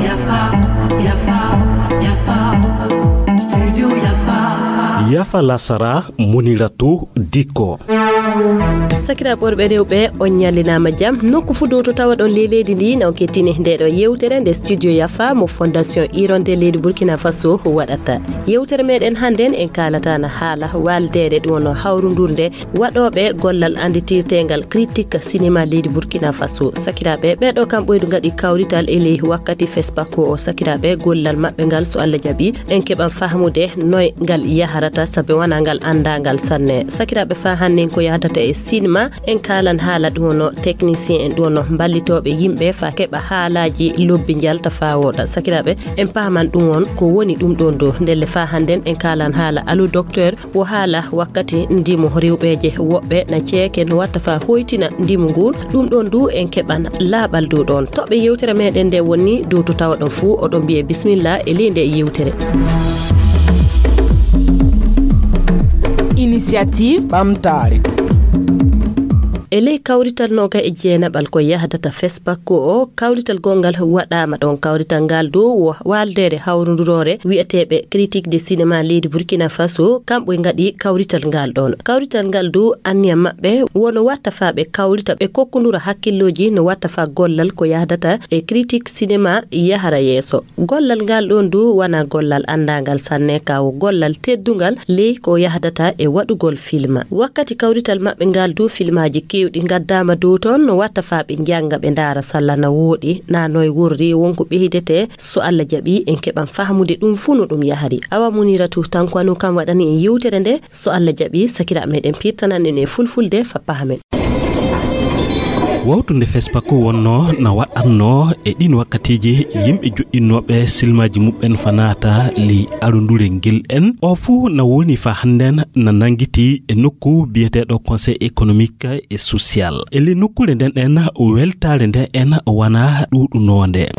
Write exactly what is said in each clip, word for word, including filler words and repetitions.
Yafa, yafa, yafa. Studio yafa. Yafa lasara, Muniratu Diko. Sakiraaɓe worɓe rewɓe, on ñallinaama jam. Nokku fuu dow to tawaɗon ley leydi ndi, na on kettini nde ɗo yewtere nde Studio Yafa mo Fondation Hirondelle leydi Burkina Faso waɗata. Yewtere meɗen hannden en kaalata na haala waaldeere ɗum wonno hawrundurde waɗooɓe gollal annditirteengal critique cinéma leydi Burkina Faso. Sakiraaɓe, ɓee ɗo kam ɓoydu ngaɗi kawrital e ley wakkati FESPACO o. Sakiraaɓe, gollal maɓɓe ngal, so Allah jaɓi, en keɓan fahmude noy ngal yaharata, sabe wonaa ngal anndaangal sanne. Sakiraaɓe, faa hannden ko yahdata e sinema, en kaalan haala ɗum wonno technicien en, ɗum wonno mballitooɓe yimɓe faa keɓa haalaaji lobbi njalta faa wooɗa. Sakiraaɓe, en paaman ɗum won ko woni ɗum ɗoon ɗo. Ndelle faa hannden en kaalan haala Allo Docteur, wo haala wakkati ndimu rewɓeeje woɓɓe na ceeke no watta faa hoytina ndimu ngun. Ɗum ɗoon du en keɓan laaɓal dow ɗoon. Toɓɓe yewtere meɗen nde woni dow to tawaɗon fuu, oɗon mbiye bismillah e ley nde yewtere. Initiative ɓamtaare. E ley kawrital nooga e jeenaɓal ko yahdata FESPACO o, kawrital gonngal waɗaama ɗoon. Kawrital ngal dow wo waaldeere hawrunduroore wiyeteeɓe critique de cinéma leydi Burkina Faso, kamɓe ngaɗi kawrital ngal ɗoon. Kawrital ngal dow anniya maɓɓe wono watta faa ɓe kawrita, ɓe kokkundura hakkillooji no watta faa gollal ko yahdata e critique cinéma yahara yeeso. Gollal ngal ɗoon du wonaa gollal anndaangal sanne, ka wo gollal teddungal ley ko yahdata e waɗugol filma. Wakkati kawrital maɓɓe ngal du, filmaaji keewɗi ngaddaama dow toon no watta faa ɓe njannga, ɓe ndaara salla na wooɗi, na noy worri, won ko ɓeydetee. So Allah jaɓi, en keɓan fahmude ɗum fuu no ɗum yahari. Awa Muniratu Tankwano kam waɗani en yewtere nde. So Allah jaɓi, sakiraaɓe meɗen pirtanan en e fulfulde faa pahamen. Wawtunde FESPACO wonno na waɗanno e ɗin wakkatiiji yimɓe joɗɗinnooɓe silmaaji muɓɓen faa naata ley arundure ngel en. O fuu na woni faa hannden na nanngiti e nokku biyeteeɗo Conseil économique et social. E ley nokkuure nden en, weltaare nden en wonaa ɗuuɗunoonde.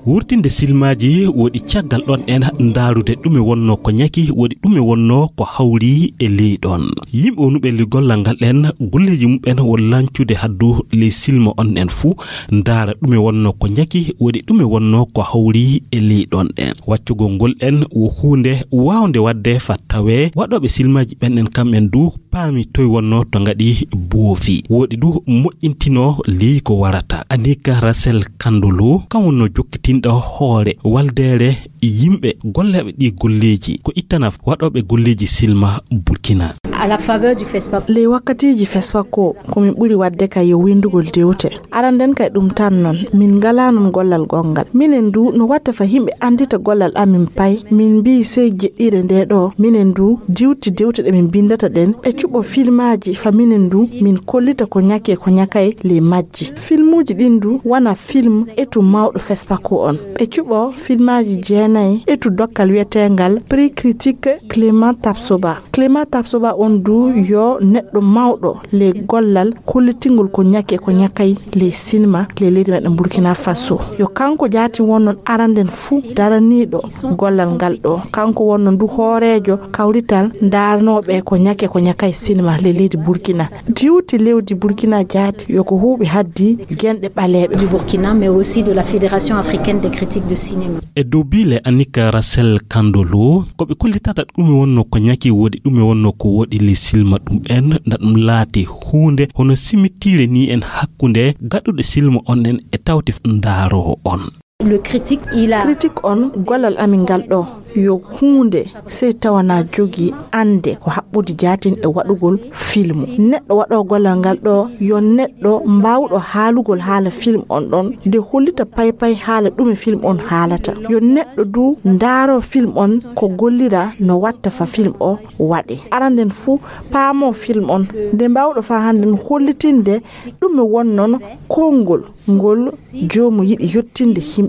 Wurtinde silmaaji woɗi caggal ɗon en ndaarude ɗume wonno ko ñaki, woɗi ɗume wonno ko hawri e ley ɗon. Yimɓe wonuɓe ley gollal ngal en, golleeji muɓɓen wo lancude haddu ley silma on en fuu, ndaara ɗume wonno ko ñaki, woɗi ɗume wonno ko hawri e ley ɗon en. Waccugol ngol en wo huunde waawnde waɗde faa tawee waɗooɓe silmaaji ɓen en kamɓen du paami toy wonno to ngaɗi boofi. Woɗi du moƴƴintinoo ley ko warata. Anika Rachel Kandolo, kam wonno jokkitinɗo hoore waldeere yimɓe golleeɓe ɗi golleeji, ko ittana waɗooɓe golleeji silma Burkina. À la faveur du FESPACO. Ley wakkatiiji FESPACO, ko min ɓuri waɗde kay yo winndugol dewte. Aranden kay ɗum tan non, min ngalaa non gollal gonngal. Minen du, no watta faa yimɓe anndita gollal amin pay, min mbii sey jeɗɗiire nde ɗo, minen du, diwti dewte ɗe min binndata ɗen, ɓe cuɓo filmaaji faa minen du, min kollita ko ñaki e ko ñakay ley majji. Filmuuji ɗin du, wonaa film etu mawɗo FESPACO on. Ɓe cuɓo filmaaji jeenay etu dokkal wiyeteengal Prix Critique Clément Tapsoba. Clément Tapsoba on du yo neɗɗo mawɗo ley gollal kollitingol ko ñaki e ko ñakay ley sinema ley leydi meɗen Burkina Faso. Yo kanko jaatin wonnon aranden fuu daraniiɗo gollal ngal ɗo. Kanko wonno du hooreejo kawrital ndaarnooɓe ko ñaki e ko ñakay sinema ley leydi Burkina. Diwti lewdi Burkina jaati yo ko huuɓi haddi genɗe ɓaleeɓe. Du Burkina, mais aussi de la Fédération africaine des critiques de cinéma. E dow biile Anika Rachel Kandolo, ko ɓe kollitata ɗume wonno ko ñaki woɗi, ɗume wonno ko woɗi ley silma ɗum en, na ɗum laati huunde hono simittiire ni en hakkunde gaɗuɗo silma on en e tawti ndaaroowo on. Le critique, il a... Critique on, gollal amin ngal ɗo, yo huunde sey tawa na jogii annde ko haɓɓude jaatin e waɗugol filmu. Neɗɗo waɗoowo gollal ngal ɗo, yo neɗɗo mbaawɗo haalugol haala film on ɗon, de hollita paypay haala ɗume film on haalata. Yo neɗɗo du ndaaroo film on ko gollira no watta faa film o waɗe. Aranden fuu paamoo film on, de mbaawɗo faa hannden hollitinde ɗume wonnon konngol ngol joomu yiɗi yottinde yimɓe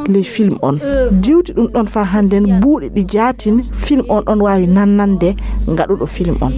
ley film on. Diwti ɗum ɗon faa hannden buuɗi ɗi jaatin film on ɗon waawi nannande ngaɗuɗo film on.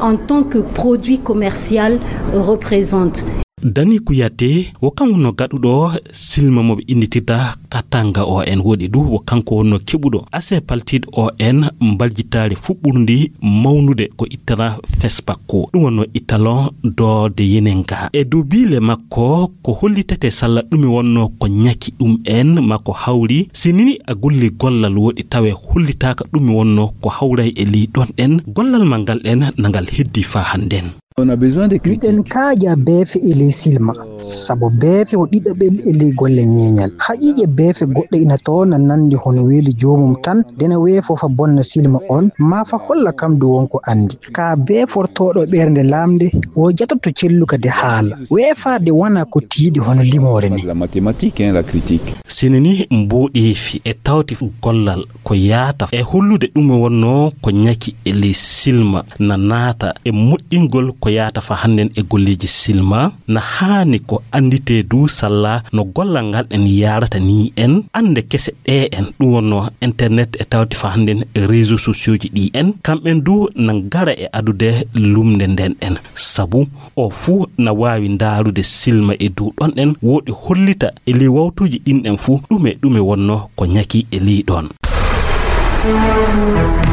En tant que produit commercial représente. Dani Kuyate, wo kam wonno gaɗuɗo silma mo ɓe innditirta Katanga O N. Woɗi du, wo kanko wonno keɓuɗo ase paltiiɗo O N mbaljitaare fuɓɓurndi mawnude ko ittata Fespakko. Ɗum wonno Italon doode Yenenga. E dow biile makko, ko hollitete salla ɗume wonno ko ñaki ɗum en ma ko hawri. Si nini a golli gollal woɗi tawe hollitaaka ɗume wonno ko hawray e ley ɗon ɗen, gollal ma ngal ɗen na ngal heddi faa hannden. On a besoin de critiques. Miɗen kaaja beefe e ley silma, sabu beefe o ɗiɗaɓel e ley golle ñeeñal. Haqiiqe beefe goɗɗe ina toon na nanndi hono weeli joomum tan, dena weefoo fa bonna silma on, maa fa holla kam du won ko anndi. Ka beefortooɗo ɓernde laamnde, o jatoto celluka de haala. Weefaade wona ko tiiɗi hono limoore ni. La mathématique, hein, la critique. Sini ni mboɗeefi e tawti gollal ko yaata e hollude ɗum wonno ko ñaki e ley silma na naata e moƴƴingol ko yaata fa hannden e golleeji silma na haani ko annditee du salla no gollal ngal en yaarata ni en annde kese ɗe en ɗum wonno internet e tawti fa hannden e réseau sociaux ji ɗi en kamɓen du na ngara e adude lumnde nden en sabu o fuu na waawi ndaarude silma e dow ɗon ɗen woɗi hollita e ley wawtuuji ɗin ɗen fuu ɗume ɗume wonno ko ñaki e ley ɗon.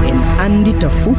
En anndita fuu.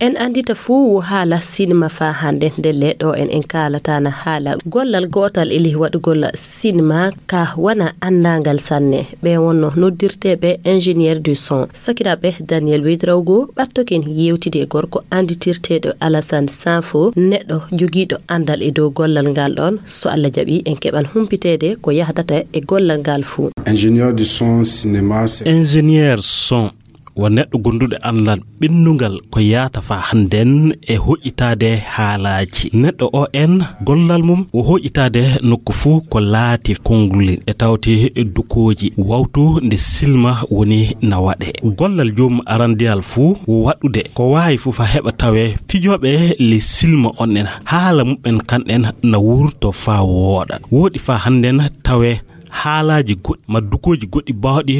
En anndita fuu wo haala sinima faa hannde nde leɗo en en kaalata na haala gollal gootal e ley waɗugol sinima ka wana anndangal sanne ɓe wonno noddirteeɓe ingénieur du son sakiraaɓe Daniel Wedraogo ɓattokin yewtidi e gorko annditirteeɗo Alassane Sanfo neɗɗo jogiiɗo anndal e dow gollal ngal ɗon so Allah jaɓi en keɓan humpiteede ko yahdata e gollal ngal fuu. Ingénieur du son cinéma. Ingénieur son wo neɗɗo gonduɗo anndal ɓennungal ko yaata fa hannden e hoƴƴitaade haalaaji neɗɗo o en gollal mum wo hoƴƴitaade nokku fuu ko laati konnguli e tawti dukooji wawtu nde silma woni na waɗe gollal joom arandiyal fuu wo waɗude ko waawi fuu fa heɓa tawe fijooɓe ley silma on en haala muɓɓen kanɗen na wurto fa wooɗa woɗi fa hannden tawe haalaaji goɗɗi ma dukooji goɗɗi baawɗi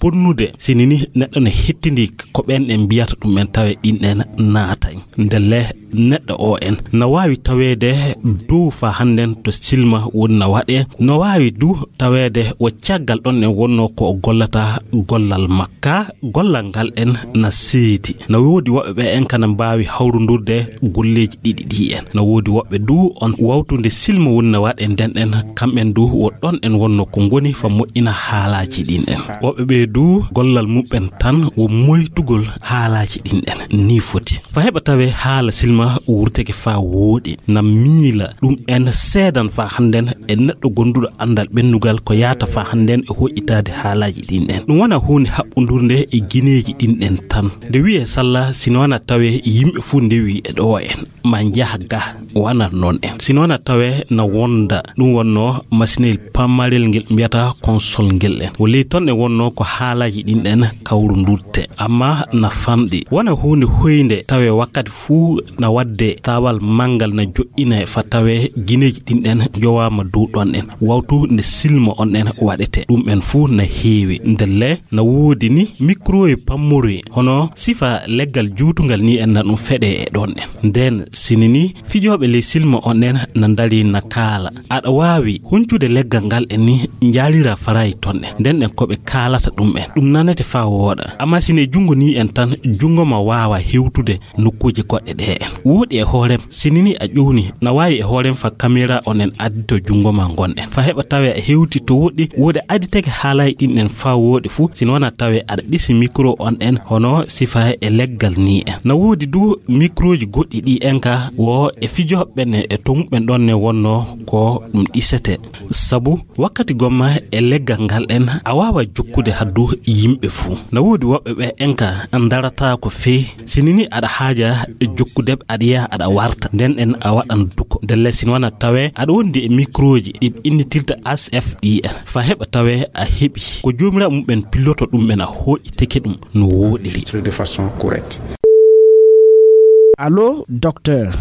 bonnude sini ni neɗɗo ne hettindi ko ɓen en mbiyata ɗum en tawe ɗin en naatay ndelle neɗɗo o en na waawi taweede dow fa hannden to silma woni na waɗe no waawi du taweede wo caggal ɗon en wonno ko o gollata gollal makka gollal ngal en na seedi na woodi woɓɓe ɓe en kana mbaawi hawrundurde golleeji ɗiɗi ɗi en na woodi woɓɓe du on wawtude silma woni na waɗe nden en kamɓen du wo ɗon en wonno ko ngoni fa moƴƴina haalaaji ɗin en woɓɓe ɓe du gollal muɓɓen tan wo moytugol haalaaji ɗin en ni foti fa heɓa tawe haala silma wurteke fa wooɗi na miila ɗum en seedan fa hannden e neɗɗo gonduɗo anndal ɓennugal ko yaata fa hannden e hoƴƴitaade haalaaji ɗin en ɗum wona huunde haɓɓundurde e gineeji ɗin en tan nde wi'e salla sino wona tawe yimɓe fuu ndewi e ɗo en ma njaha ga wana noon en sino wona tawe na wonda ɗum wonno masinel pammarel ngel mbiyata konsol ngel en wo ley ton e wonno ko haalaaji ɗin en kawrundurte amma na famɗi wona huunde hoynde tawe wakkati fuu na waɗde taawal manngal na joɗɗina e fa tawe gineeji ɗin ɗen njowaama dow ɗon en wawtu nde silma on en waɗete ɗum en fuu na heewi ndelle na woodi ni micro e pammoroye hono sifa leggal juutungal ni en na ɗum feɗe e ɗon en nden sini ni fijooɓe ley silma on en na ndari na kaala aɗa waawi huncude leggal ngal en ni njaalira farayi ton en nden en ko ɓe kaalata ɗum en ɗum nanete faa wooɗa amma sine junngo ni en tan junngo ma waawa hewtude nokkuuje goɗɗe ɗe en wooɗi e hoorem sinini a ƴowni na waawi e hoorem fa kamera on en addi to junngo ma ngon en fa heɓa tawe a hewti to woɗɗi wooɗi aditake haalayi ɗin en faa wooɗi fuu sino wona tawe aɗa ɗisi micro on en hono sifa e leggal ni en na woodi du microji goɗɗi ɗi en ka wo e fijoɓe ne e tomuɓen ɗon ne wonno ko ɗum ɗisete sabu wakkati gomma e leggal ngal en a waawa jokkude haddu yimɓe fuu na woodi woɓɓe ɓe en ka darata ko fey sinini aɗa haaja jokkude aɗa yaha aɗa warta nden en a waɗan duko ndelle sino wona tawe aɗa wondi e microji ɗi innitirta asf ɗi en fa heɓa tawe a heɓi ko joomiraaɓe muɓɓen pilloto ɗum ɓen a hooƴiteke ɗum no wooɗiri. De façon correcte. Allo, docteur.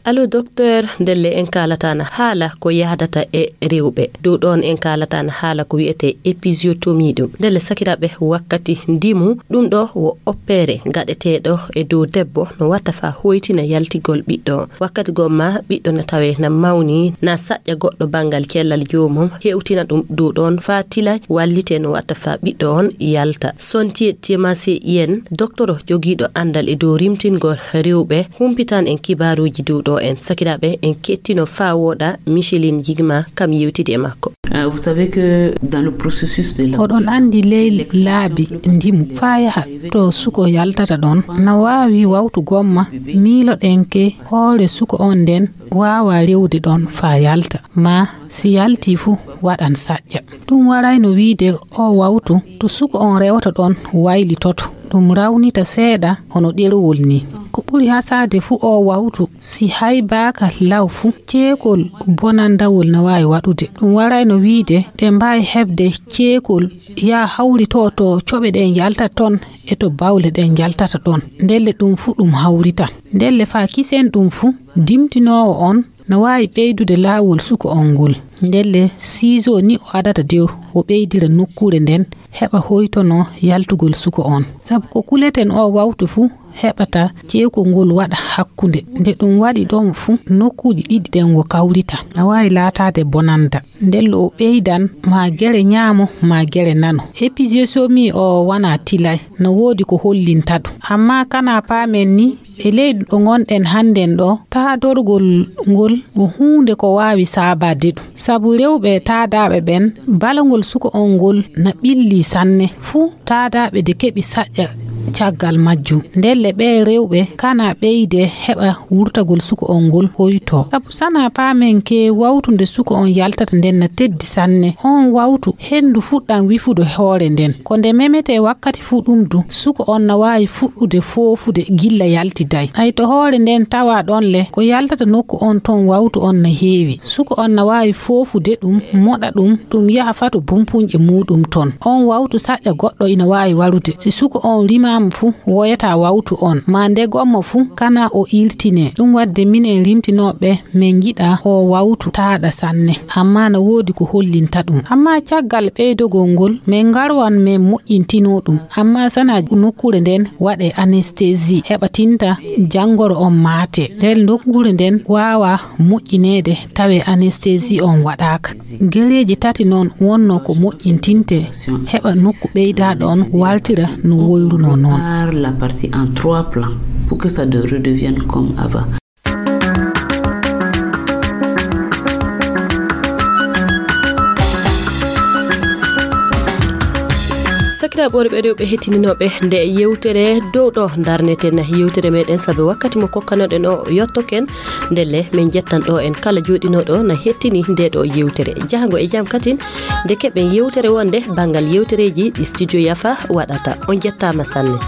Allo, docteur, ndelle en kaalataana haala ko yahdata e rewɓe. Dow ɗoon en kaalataana haala ko wiyetee épisiotomie ɗum. Ndelle sakiraaɓe, wakkati ndimu, ɗum ɗo wo oppeere gaɗeteeɗo e dow debbo, no watta faa hoytina yaltigol ɓiɗɗo. Wakkati goo ma ɓiɗɗo na tawee na mawni, na saƴƴa goɗɗo banngal cellal joomum, hewtina ɗum dow ɗoon faa tilay, wallitee no watta faa ɓiɗɗo on yalta. Sontiye Temase Yen, doktoro jogiiɗo anndal e dow rimtingol rewɓe, humpitan en kibaaruuji dow ɗo en. Sakiraaɓe, en kettino faa wooɗa Micheline Jigma kam yewtidi e makko. Euh, vous savez que dans le processus de la Oɗon anndi ley laabi ndimu faa yaha to suko yaltata ɗoon, na waawi wawtu gomma miiloɗen ke hoore suko on nden waawa rewde ɗoon faa yalta, ma si yaltii fu waɗan saƴƴa. Ɗum warayno wiide o wawtu to suko on rewata ɗoon waylitoto. Ɗum rawnita seeɗa hono ɗerowol ni. Ko ɓuri hasaade fu o wawtu si haybaaka law fu ceekol bonandawol na waawi waɗude. Ɗum warayno wiide ɗe mbaawi heɓde ceekol yaa hawritoo to coɓe ɗe njaltata toon e to bawle ɗe njaltata ɗoon. Ndelle ɗum fu ɗum hawrita. Ndelle faa kisen ɗum fu, dimtinoowo on na waawi ɓeydude laawol suko on ngol. Ndelle siiso ni o adata dow o ɓeydira nokkuure nden heɓa hoytono yaltugol suko on. Sabu ko kuleten o wawtu fu heɓata ceekol ngol waɗa hakkunde. Nde ɗum waɗi ɗon fu nokkuuji ɗiɗi ɗen wo kawrita. Na waawi laataade bonanda. Ndelle o ɓeydan maa gere ñaamo maa gere nano. Épisiotomie o wanaa tilay. No woodi ko hollinta ɗum. Amma kana paamen ni, e ley ɗo ngonɗen hannden ɗo, taadorgol ngol ko huunde ko waawi saabaade ɗum. Sabu rewɓe taadaaɓe ɓen, balangol suko on ngol na ɓilli sanne. Fuu taadaaɓe de keɓi saƴƴa caggal majjum. Ndelle ɓee rewɓe kana ɓeyde heɓa wurtagol suko on ngol hoytoo. Sabu sana paamen ke wawtu nde suko on yaltata nden na teddi sanne. On wawtu henndu fuɗɗan wifude hoore nden. Ko nde memetee wakkati fuu ɗum du, suko on na waawi fuɗɗude foofude gilla yaltiday. Hay to hoore nden tawa ɗon le, ko yaltata nokku on ton wawtu on na heewi. Suko on na waawi foofude ɗum, moɗa ɗum, ɗum yaha faa to bumpunƴe muuɗum ton. On wawtu saƴƴa goɗɗo ina waawi warude. Si suko on rimaama fu, woyata wawtu on. Ma nde gomma fu, kana o iltinee. Ɗum wadde minen rimtinooɓe, men njiɗa o wawtu taaɗa sanne. Amma na woodi ko hollinta ɗum. Amma caggal ɓeydogol ngol, men ngarwan men moƴƴintinoo ɗum. Amma sana nokkuure nden waɗee anesthésie, heɓa tinta janngoro on maate. Ndel nokkuure nden waawa moƴƴineede tawee anesthésie on waɗaaka. Gereeji tati noon wonnoo ko moƴƴintinte, heɓa nokku ɓeydaaɗo on waltira no woyrunoo noon. Par la partie en trois plans pour que ça de- redevienne comme avant. Sakiraaɓe worɓe e rewɓe hettininooɓe nde yewtere dow ɗo ndarneten yewtere meɗen, sabu wakkati mo kokkanoɗen o yottoken. Ndelle, min njettan ɗo en kala jooɗinooɗo na hettini nde ɗo yewtere. Jahango e jam katin, nde keɓen yewtere wonde banngal yewtereeji ɗi Studio Yafa waɗata. On njettaama sanne.